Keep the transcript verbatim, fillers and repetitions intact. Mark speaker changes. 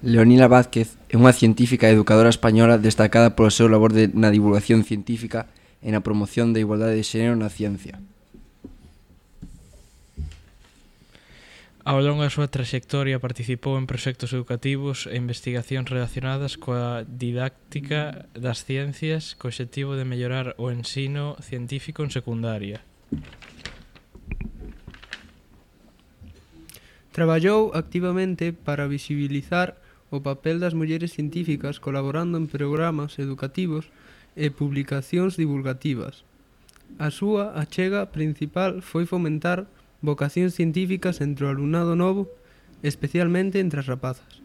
Speaker 1: Leonila Vázquez é unha científica e educadora española destacada polo seu labor de, na divulgación científica e na promoción da igualdade de xénero na ciencia.
Speaker 2: Ao longo da súa traxectoria participou en proxectos educativos e investigacións relacionadas coa didáctica das ciencias co obxectivo de mellorar o ensino científico en secundaria.
Speaker 3: Traballou activamente para visibilizar o papel das mulleres científicas colaborando en programas educativos e publicacións divulgativas. A súa achega principal foi fomentar vocacións científicas entre o alumnado novo, especialmente entre as rapazas.